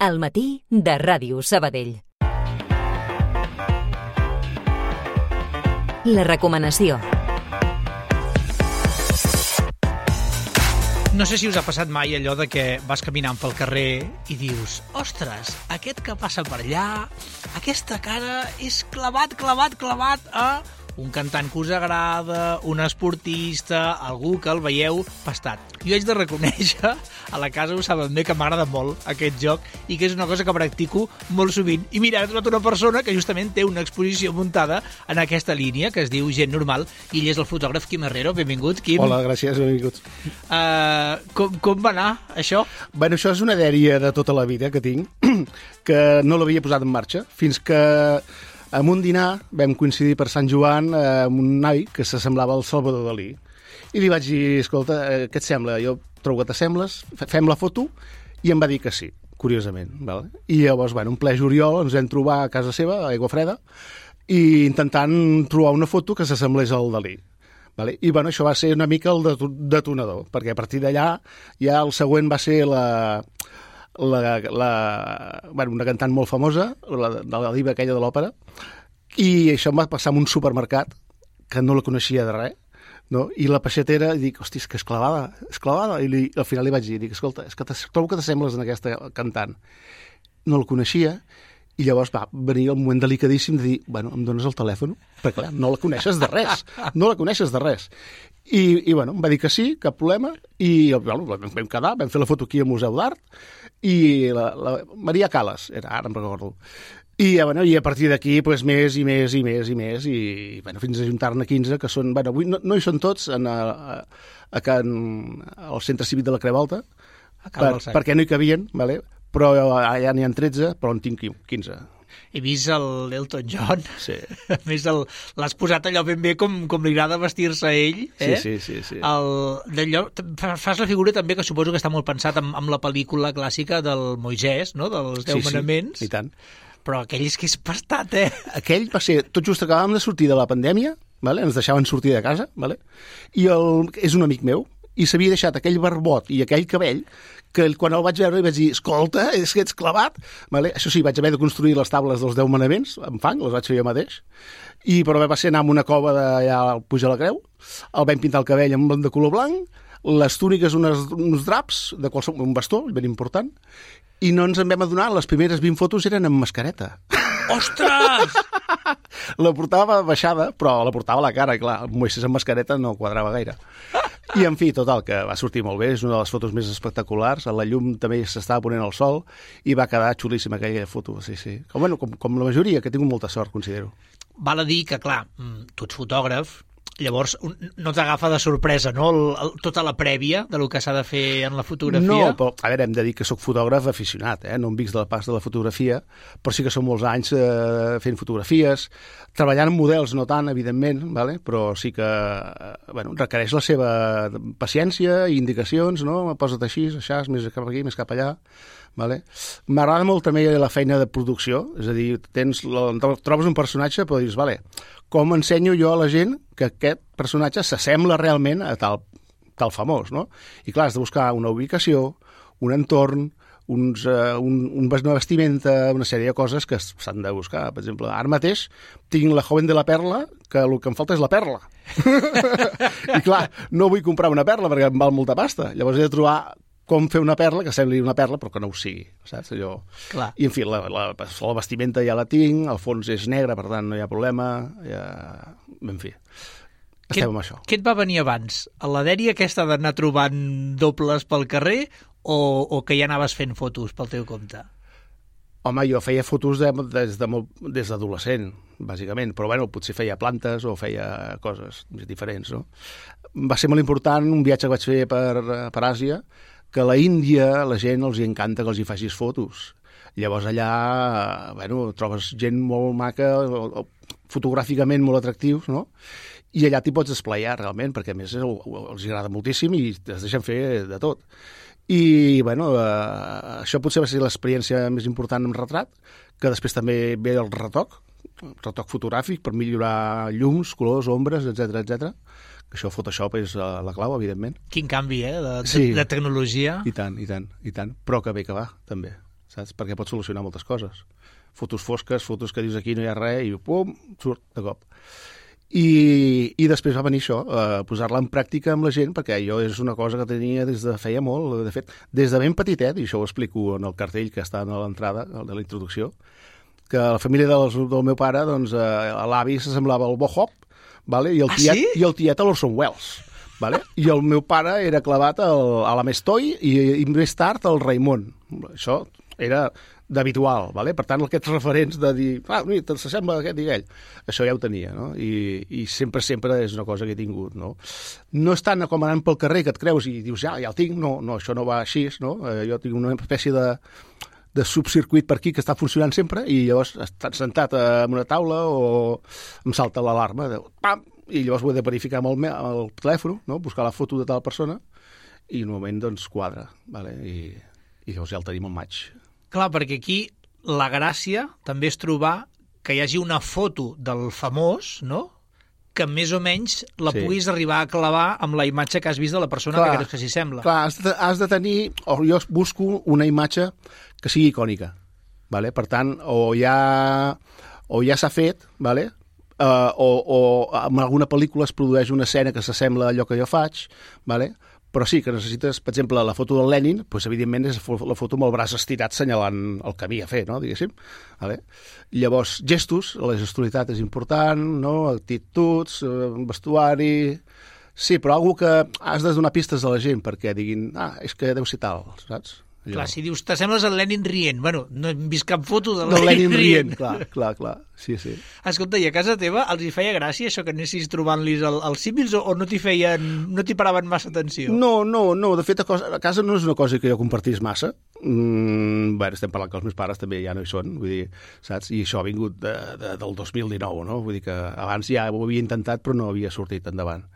Al matí de Ràdio Sabadell. La recomanació. No sé si us ha passat mai allò de que vas caminant pel carrer i dius: ostres, aquest que passa per allà, aquesta cara és clavat a un cantant que us agrada, un esportista, algú que el veieu pastat. Jo haig de reconèixer, a la casa ho saben bé, que m'agrada molt aquest joc i que és una cosa que practico molt sovint. I mira, he trobat una persona que justament té una exposició muntada en aquesta línia, que es diu Gent Normal, i ell és el fotògraf Quim Herrero. Benvingut, Quim. Hola, gràcies, benvinguts. Com va anar, això? Bueno, això és una dèria de tota la vida que tinc, que no l'havia posat en marxa, fins que en un dinar vam coincidir per Sant Joan amb un noi que s'assemblava al Salvador Dalí. I li vaig dir: escolta, què et sembla? Jo trobo que t'assembles, fem la foto, i em va dir que sí, curiosament. Vale? I llavors, bueno, un ple juliol ens vam trobar a casa seva, a Aigua Freda, i intentant trobar una foto que s'assemblés al Dalí. Vale? I bueno, això va ser una mica el detonador, perquè a partir d'allà ja el següent va ser una cantant molt famosa, de la diva aquella de l'òpera, i això em va passar en un supermercat que no la coneixia de res, no? I la peixatera, i dic: hosti, és que és clavada, i al final li vaig dir, escolta, és que trobo que t'assembles en aquesta cantant. No la coneixia, i llavors va venir el moment delicadíssim de dir: bueno, em dones el telèfon? Perquè clar, no la coneixes de res, I bueno, em va dir que sí, cap problema, i bueno, vam quedar, vam fer la foto aquí al Museu d'Art, i la Maria Calas, ara em recordo. I bueno, i a partir d'aquí, pues, més, i bueno, fins a juntar-ne 15, que són, bueno, avui no hi són tots al Centre Cívic de la Creu Alta, perquè no hi cabien, vale? Però allà n'hi ha 13, però en tinc 15. He vist l'Elton John. Sí. A més, l'has posat allò ben bé com li agrada vestir-se a ell. Sí. Fas la figura també, que suposo que està molt pensat amb la pel·lícula clàssica del Moisès, no? Dels 10 manaments. Sí, i tant. Però aquell és que és pastat, Aquell va ser, tot just acabàvem de sortir de la pandèmia, vale? Ens deixaven sortir de casa, vale? I és un amic meu, i s'havia deixat aquell barbot i aquell cabell, que quan el vaig veure li vaig dir: escolta, és que ets clavat. Vale? Això sí, vaig haver de construir les taules dels 10 manaments, amb fang, les vaig fer jo mateix, però va ser anar a una cova d'allà al Puig de la Creu, el vam pintar el cabell de color blanc, les túniques uns draps, un bastó, ben important, i no ens en vam adonar, les primeres 20 fotos eren amb mascareta. Ostres! La portava baixada, però la portava a la cara, clar, el Moisès amb mascareta no quadrava gaire. I, en fi, total, que va sortir molt bé, és una de les fotos més espectaculars, a la llum també s'estava ponent el sol, i va quedar xulíssima aquella foto, sí. Com la majoria, que he tingut molta sort, considero. Val a dir que, clar, tu ets fotògraf, llavors no t'agafa de sorpresa, no?, tota la prèvia de lo que s'ha de fer en la fotografia. No, però, a veure, hem de dir que sóc fotògraf aficionat, no em vic de la pas de la fotografia, però sí que són molts anys fent fotografies, treballant amb models, no tant, evidentment, vale? Però sí que requereix la seva paciència i indicacions, no? Posa't així, més cap aquí, més cap allà. Vale? M'agrada molt també la feina de producció, és a dir, trobes un personatge, però dius: vale, com ensenyo jo a la gent que aquest personatge s'assembla realment a tal famós, no? I clar, has de buscar una ubicació, un entorn, una vestimenta, una sèrie de coses que s'han de buscar. Per exemple, ara mateix tinc la Joven de la Perla, que el que em falta és la perla. I clar, no vull comprar una perla perquè em val molta pasta. Llavors he de trobar com fer una perla que sembli una perla però que no ho sigui, saps? Allò. Clar. I en fi, la vestimenta ja la tinc, el fons és negre, per tant no hi ha problema, en fi, estem amb això. Què et va venir abans? La dèria aquesta d'anar trobant dobles pel carrer o que ja anaves fent fotos pel teu compte? Home, jo feia fotos des d'adolescent, bàsicament, però bueno, potser feia plantes o feia coses diferents, no? Va ser molt important un viatge que vaig fer per Àsia, que a la Índia la gent els encanta que els hi facis fotos. Llavors allà, trobes gent molt maca, fotogràficament molt atractius, no? I allà t'hi pots esplaiar realment, perquè a més els agrada moltíssim i es deixen fer de tot. I, això potser va ser l'experiència més important en retrat, que després també ve el retoc fotogràfic per millorar llums, colors, ombres, etc. Això Photoshop és la clau, evidentment. Quin canvi, de tecnologia. I tant. Però que bé que va, també. saps? Perquè pot solucionar moltes coses. Fotos fosques, fotos que dius aquí no hi ha res i pum, surt de cop. I després va venir això, posar-la en pràctica amb la gent, perquè jo és una cosa que tenia des de feia molt, de fet, des de ben petitet, i això ho explico en el cartell que està a l'entrada de la introducció, que la família del meu pare, doncs, l'avi s'assemblava al Bob Hope, vale? I el tiet a l'Orson Welles. Vale? I el meu pare era clavat a l'Ames Toy i més tard al Raimon. Això era d'habitual, vale? Per tant, aquests referents de dir, mira, s'assembla aquest i aquell, això ja ho tenia, no? I sempre és una cosa que he tingut, no? No és tant com anant pel carrer que et creus i dius, ja el tinc, no, això no va així, no? Jo tinc una espècie de subcircuit per aquí que està funcionant sempre i llavors estan sentat en una taula o em salta l'alarma, pam, i llavors ho he de verificar amb el telèfon, no? Buscar la foto de tal persona i en un moment doncs quadra, vale? I llavors ja el tenim al maig. Clar, perquè aquí la gràcia també és trobar que hi hagi una foto del famós, no?, que més o menys la puguis arribar a clavar amb la imatge que has vist de la persona que creus que s'hi sembla. Clar, has de tenir, o jo busco una imatge que sigui icònica, vale? Per tant, o ja s'ha fet, vale? O en alguna pel·lícula es produeix una escena que s'assembla a allò que jo faig, vale? Però sí que necessites, per exemple, la foto del Lenin, doncs, evidentment, és la foto amb el braç estirat senyalant el camí a fer, no? Diguéssim. Vale? Llavors, gestos, la gestualitat és important, no? Actituds, vestuari... Sí, però algú que has de donar pistes a la gent perquè diguin, és que deu ser tal, saps? Clar, si dius, t'assembles al Lenin rient. Bueno, no hem vist cap foto del Lenin rient. Clar. Sí. Escolta, i a casa teva els hi feia gràcia això que anessis trobant-los els símils o no t'hi paraven massa atenció? No. De fet, a casa no és una cosa que jo compartís massa. Bé, estem parlant que els meus pares també ja no hi són, vull dir, saps? I això ha vingut del 2019, no? Vull dir que abans ja ho havia intentat però no havia sortit endavant.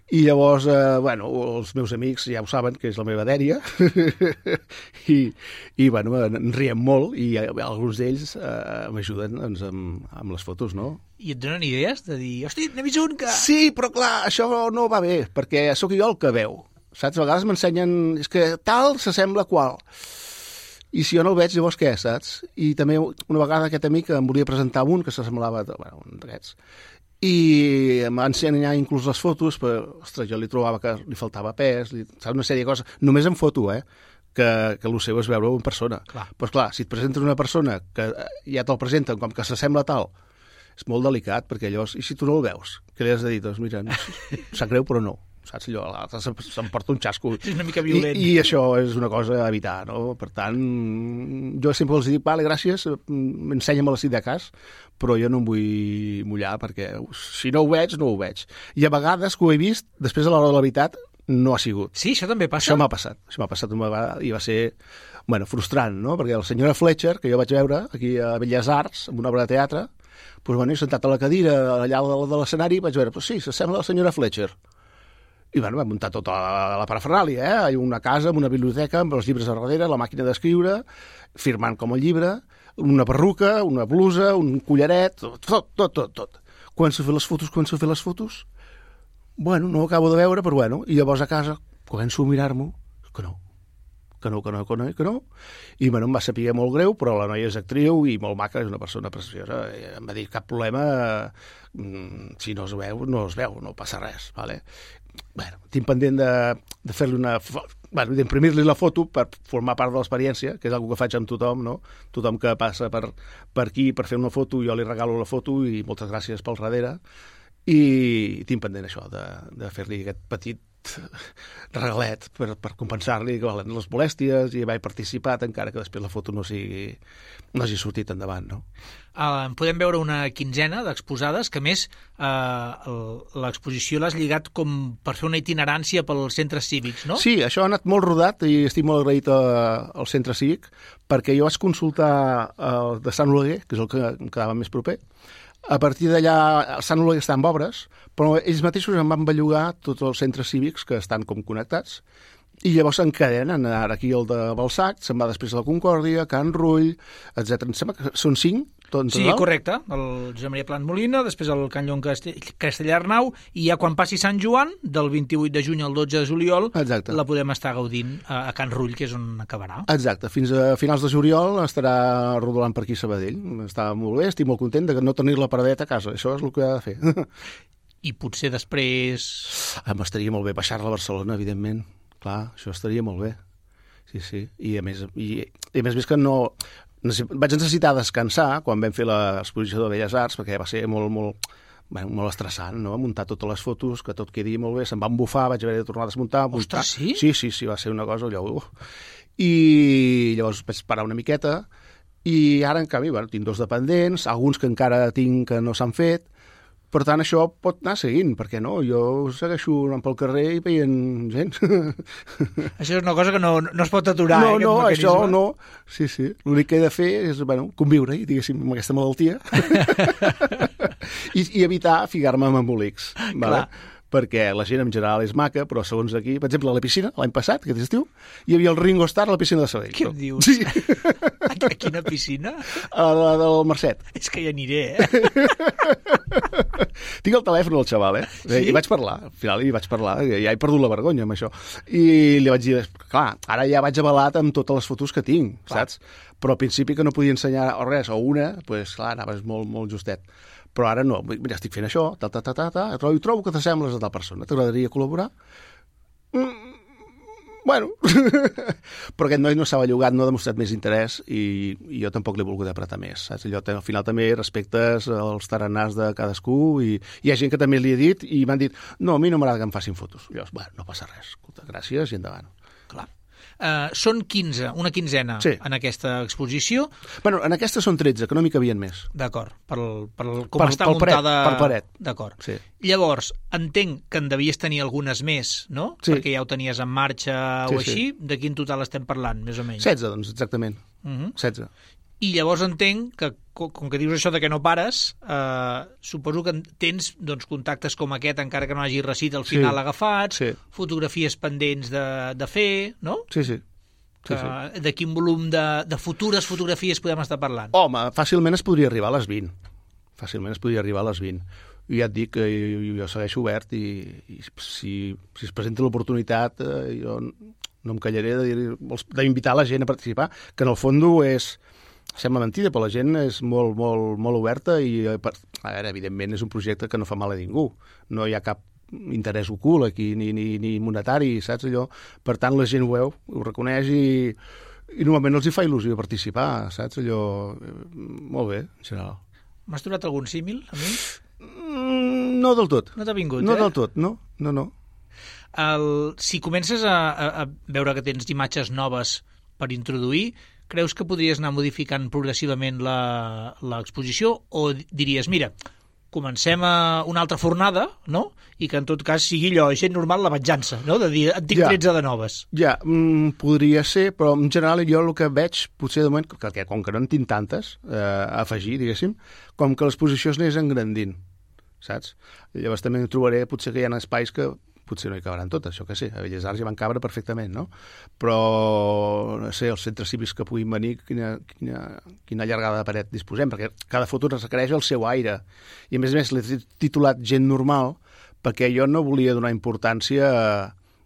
I llavors, els meus amics ja ho saben, que és la meva dèria, i en riem molt, i alguns d'ells m'ajuden doncs, amb les fotos, no? I et donen idees de dir, hosti, n'he vist un que... Sí, però clar, això no va bé, perquè sóc jo el que veu, saps? A vegades m'ensenyen, és que tal s'assembla a qual. I si jo no el veig, llavors què, saps? I també una vegada aquest amic em volia presentar un que s'assemblava a un d'aquests, i em va ensenyar inclús les fotos, però, ostres, jo li trobava que li faltava pes, saps, una sèrie de coses, només en foto, que el seu és veure-ho en persona. Doncs clar, si et presenten una persona que ja te'l presenten com que s'assembla tal, és molt delicat, perquè llavors, i si tu no el veus, què li has de dir? Doncs mira, sap greu, però no. Saps? Allò, l'altre s'emporta un xasco. És una mica violent. I això és una cosa a evitar, no? Per tant, jo sempre els dic, vale, gràcies, ensenya'm-la si de cas, però jo no em vull mullar, perquè si no ho veig, no ho veig. I a vegades que ho he vist, després a l'hora de la veritat, no ha sigut. Sí, això també passa? Això m'ha passat una vegada i va ser, frustrant, no? Perquè la senyora Fletcher, que jo vaig veure aquí a Belles Arts, en una obra de teatre, doncs, sentat a la cadira allà de l'escenari, vaig veure, sí, s'assembla a la senyora Fletcher. I vam muntar tota la parafernàlia, una casa amb una biblioteca, amb els llibres a darrere, la màquina d'escriure, firmant com el llibre, una perruca, una blusa, un collaret, tot. Començo a fer les fotos, no ho acabo de veure, però i llavors a casa començo a mirar-m'ho, que no, i em va saber molt greu, però la noia és actriu i molt maca, és una persona preciosa, em va dir, cap problema, si no es veu, no passa res, vale? Tinc pendent de fer-li d'imprimir-li la foto per formar part de l'experiència, que és una que faig amb tothom, no? Tothom que passa per aquí per fer una foto, jo li regalo la foto i moltes gràcies pel darrere, i tinc pendent això, de fer-li aquest petit regalet per compensar-li les molèsties i haver participat, encara que després la foto no hagi sortit endavant, no? Podem veure una quinzena d'exposades, que a més l'exposició l'has lligat com per fer una itinerància pels centres cívics, no? Sí, això ha anat molt rodat i estic molt agraït al centre cívic, perquè jo vaig consultar el de Sant Oleguer, que és el que em quedava més proper. A partir d'allà, el Sant Oleguer està en obres, però ells mateixos em van bellugar tots els centres cívics que estan com connectats, i llavors s'encadenen, ara aquí el de Balsac, se'n va després a la Concòrdia, Can Rull, etc. Em sembla que són 5, Sí, correcte. El Josep Maria Plant Molina, després el Can Llong Castellarnau, i ja quan passi Sant Joan, del 28 de juny al 12 de juliol, Exacte. la podem estar gaudint a Can Rull, que és on acabarà. Exacte. Fins a finals de juliol estarà rodolant per aquí a Sabadell. Està molt bé, estic molt content de no tenir-la paradeta a casa. Això és el que ha de fer. I potser després... M'estaria molt bé baixar-la a Barcelona, evidentment. Clar, això estaria molt bé. Sí. I a més que no... Vaig necessitar descansar quan vam fer l'exposició de Belles Arts, perquè va ser molt estressant, no? Muntar totes les fotos, que tot quedi molt bé, se'm va embufar, vaig haver de tornar a desmuntar. Ostres, sí? Sí, va ser una cosa allò... I llavors vaig parar una miqueta, i ara, en canvi, tinc 2 dependents, alguns que encara tinc que no s'han fet. Per tant, això pot anar seguint, perquè no? Jo segueixo anant pel carrer i veient gent. Això és una cosa que no es pot aturar, No, això no. Sí. L'únic que he de fer és, conviure, diguéssim, amb aquesta malaltia i evitar ficar-me amb embolics. Vale? Perquè la gent en general és maca, però segons aquí, per exemple, a la piscina, l'any passat, aquest estiu, hi havia el Ringo Starr a la piscina de Sabadell. Què em dius? Sí. A quina piscina? A la del Mercet. És que hi aniré, Tinc el telèfon del xaval, Sí? I vaig parlar, al final hi vaig parlar, ja he perdut la vergonya amb això. I li vaig dir, clar, ara ja vaig avalat amb totes les fotos que tinc, saps? Però al principi que no podia ensenyar res, o una, doncs clar, anaves molt justet. Però ara no, mira, estic fent això, trobo que t'assembles a tal persona, t'agradaria col·laborar? Bueno, però aquest noi no s'ha bellugat, no ha demostrat més interès i jo tampoc l'he volgut apretar més, saps? Allò, al final també respectes els taranars de cadascú i hi ha gent que també li he dit i m'han dit, no, a mi no m'agrada que em facin fotos. Llavors, no passa res, escolta, gràcies i endavant. Clar. Són 15, una quinzena en aquesta exposició. Bueno, en aquesta són 13, que no m'hi cabien més. D'acord, com està muntada... Per paret. D'acord. Sí. Llavors, entenc que en devies tenir algunes més, no? Sí. Perquè ja ho tenies en marxa o així. De quin total estem parlant, més o menys? 16, doncs, exactament. 16. I llavors entenc que, com que dius això de que no pares, suposo que tens contactes com aquest, encara que no hagi recit al final agafats, fotografies pendents de fer, no? Sí. De quin volum de futures fotografies podem estar parlant? Home, fàcilment es podria arribar a les 20. I ja et dic que jo segueixo obert i si es presenta l'oportunitat, jo no em callaré d'invitar la gent a participar, que en el fons sembla mentida, però la gent és molt oberta i, a veure, evidentment és un projecte que no fa mal a ningú. No hi ha cap interès ocult aquí, ni monetari, saps allò? Per tant, la gent ho veu, ho reconeix i normalment els hi fa il·lusió participar, saps allò? Molt bé, en general. M'has trobat algun símil, a mi? No del tot. No t'ha vingut, No del tot, no. Si comences a veure que tens imatges noves per introduir, creus que podries anar modificant progressivament l'exposició o diries, mira, comencem una altra fornada, no? I que en tot cas sigui allò, gent normal, la venjança, no? De dir, en tinc 13 de noves. Ja, podria ser, però en general jo el que veig, potser de moment, que com que no en tinc tantes a afegir, diguéssim, com que l'exposició es anés engrandint, saps? Llavors també trobaré, potser que hi ha espais que potser no hi cabaran totes, això que sé, a Belles Arts hi van cabre perfectament, no? Però, no sé, els centres cívics que puguin venir, quina llargada de paret disposem, perquè cada foto requereix el seu aire. I a més l'he titulat Gent normal, perquè jo no volia donar importància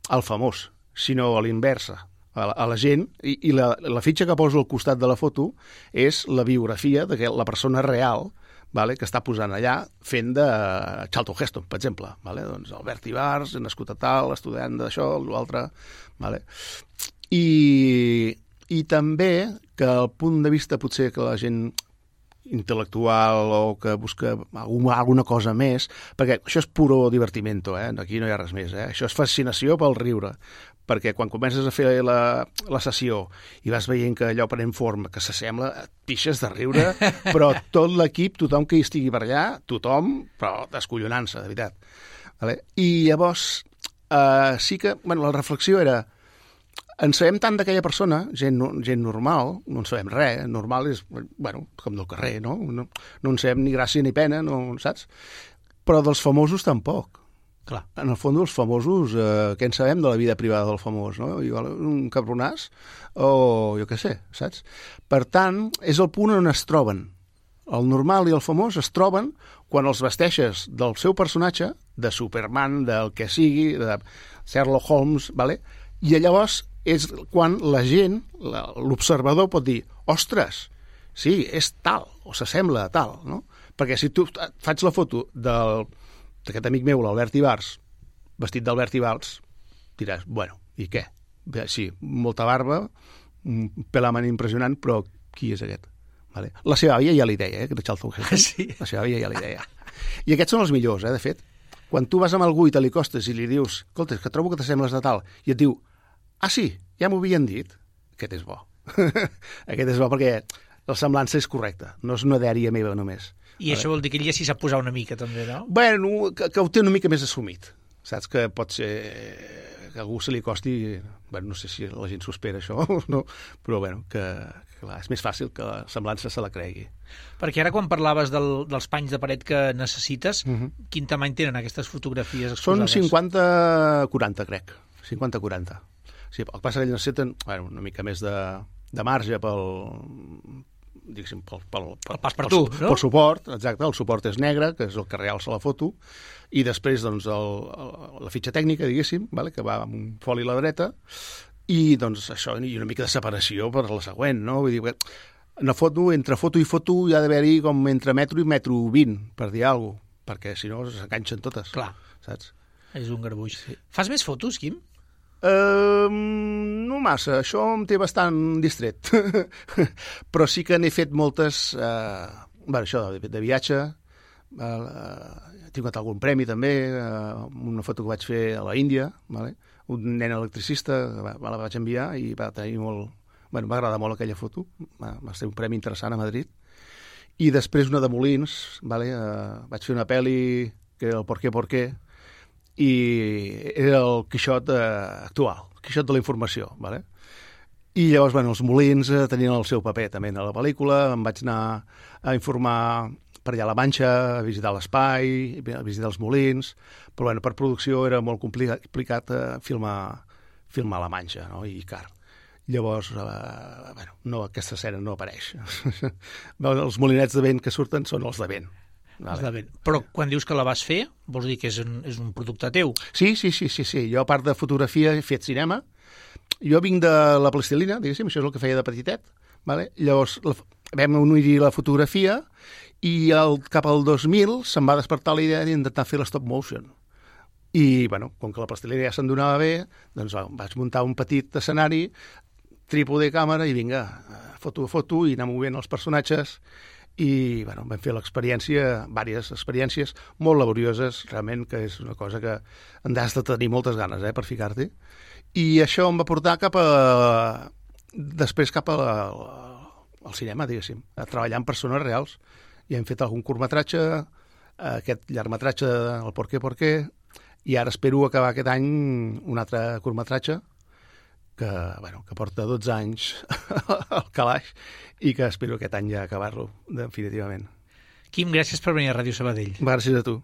al famós, sinó a l'inversa, a la gent, i la fitxa que poso al costat de la foto és la biografia de la persona real, vale, que està posant allà fent de Charlton Heston, per exemple. Vale? Doncs Albert Ibars, nascut a tal, estudiant d'això, l'altre. Vale? I també que el punt de vista potser que la gent intel·lectual o que busca alguna cosa més, perquè això és puro divertimento, aquí no hi ha res més, això és fascinació pel riure, perquè quan comences a fer la sessió i vas veient que allò pren forma, que s'assembla, et pixes de riure, però tot l'equip, tothom que hi estigui per allà, tothom, però descollonant-se, de veritat. Vale? I llavors sí que, la reflexió era, en sabem tant d'aquella persona, gent normal, no en sabem res, normal és, com del carrer, no? No en sabem ni gràcia ni pena, no, saps? Però dels famosos tampoc. Clar. En el fons, els famosos, què en sabem de la vida privada del famós, no? Igual un cabronàs o jo què sé, saps? Per tant, és el punt on es troben El normal i el famós es troben quan els vesteixes del seu personatge, de Superman, del que sigui, de Sherlock Holmes, vale? I llavors és quan la gent, l'observador pot dir, ostres, sí, és tal, o s'assembla a tal, no? Perquè si tu faig la foto d'aquest amic meu, l'Albert Ibars, vestit d'Albert Ibars, diràs, bueno, i què? Bé, sí, molta barba, un pelaman impressionant, però qui és aquest? Vale. La seva àvia ja li deia, que era Charlton Heston. Sí. La seva àvia ja li deia. I aquests són els millors, de fet. Quan tu vas amb algú i te li costes i li dius, escolta, que trobo que t'assembles de tal, i et diu, ah, sí, ja m'ho havien dit. Aquest és bo. Aquest és bo perquè la semblança és correcta, no és una dèria meva només. I això vol dir que ell ja s'hi sap posar una mica, també, no? Bueno, que ho té una mica més assumit. Saps que pot ser que a algú se li costi... Bueno, no sé si la gent s'ho espera, això, no? Però, bueno, que clar, és més fàcil que la semblança se la cregui. Perquè ara, quan parlaves dels panys de paret que necessites, quin tamany tenen aquestes fotografies exposades? Són 50-40, crec. 50-40. Sí, el que passa que ells necessiten una mica més de marge pel pas per tu, no? Pel suport, exacte, el suport és negre, que és el que realça la foto, i després doncs, la fitxa tècnica, diguéssim, vale, que va amb un foli a la dreta, i doncs això, i una mica de separació per la següent, no? Vull dir que una foto, entre foto i foto hi ha d'haver-hi com entre metro i metro 20, per dir alguna cosa, perquè si no s'enganxen totes. Clar. Saps? És un garbuix. Sí. Fas més fotos, Quim? No massa, això em té bastant distret. Però sí que n'he fet moltes, això de viatge, he tingut algun premi també, una foto que vaig fer a la Índia, vale? Un nen electricista, me la vaig enviar i va tenir molt... Bueno, va agradar molt aquella foto, va ser un premi interessant a Madrid. I després una de Molins, vale? Vaig fer una pel·li que era el Por qué, i era el Quixot actual, el Quixot de la informació, vale? I llavors, bueno, els Molins tenien el seu paper també a la pel·lícula, em vaig anar a informar per allà a la Manxa, a visitar l'espai, a visitar els Molins, però bueno, per producció era molt complicat filmar la Manxa, no? I car. Llavors, no, aquesta escena no apareix. Els molinets de vent que surten són els de vent. Vale. Però quan dius que la vas fer, vols dir que és un producte teu? Sí. Jo, a part de fotografia, he fet cinema. Jo vinc de la plastilina, diguéssim, això és el que feia de petitet. Vale? Llavors, vam unir la fotografia i cap al 2000 se'm va despertar la idea d'intentar fer la stop motion. I, bueno, com que la plastilina ja se'n donava bé, doncs vaig muntar un petit escenari, trípode, càmera, i vinga, foto a foto, i anar movent els personatges. I bueno, vam fer diverses experiències molt laborioses, realment, que és una cosa que en has de tenir moltes ganes per ficar-t'hi. I això em va portar després cap al cinema, diguéssim, a treballar amb persones reals. I hem fet algun curtmetratge, aquest llargmetratge, el Por qué, i ara espero acabar aquest any un altre curtmetratge que porta 12 anys al calaix i que espero aquest any ja acabar-lo definitivament. Quim, gràcies per venir a Ràdio Sabadell. Gràcies a tu.